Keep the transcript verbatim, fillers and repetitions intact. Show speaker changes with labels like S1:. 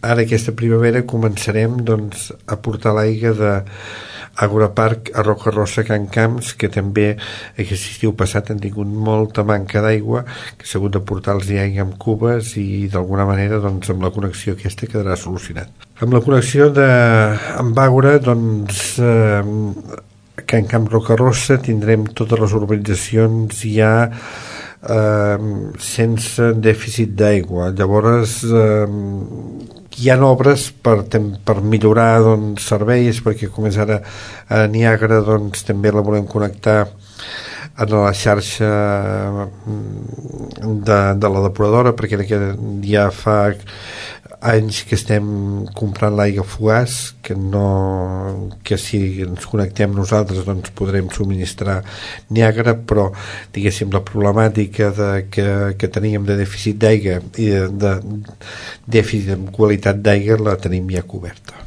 S1: ara aquesta primavera començarem doncs, a portar l'aigua de Agora Park a Roca Rossa, Can Camps, que també aquest estiu passat han tingut molta manca d'aigua, que s'ha hagut de portar-los aigua amb cubes i d'alguna manera doncs, amb la connexió aquesta quedarà solucionat. Amb la connexió de, amb Àgora, doncs eh, a Can Camps Roca Rossa tindrem totes les urbanitzacions ja eh, sense dèficit d'aigua. Llavors eh, hi ha obres per, per millorar doncs, serveis, perquè com és ara a Niàgara doncs, també la volem connectar a la xarxa de, de la depuradora, perquè ja fa anys que estem comprant l'aigua fugaç, que no que si ens connectem nosaltres doncs podrem subministrar Niàgara, però diguéssim la problemàtica de, que, que teníem de dèficit d'aigua i de, de dèficit de qualitat d'aigua la tenim ja coberta.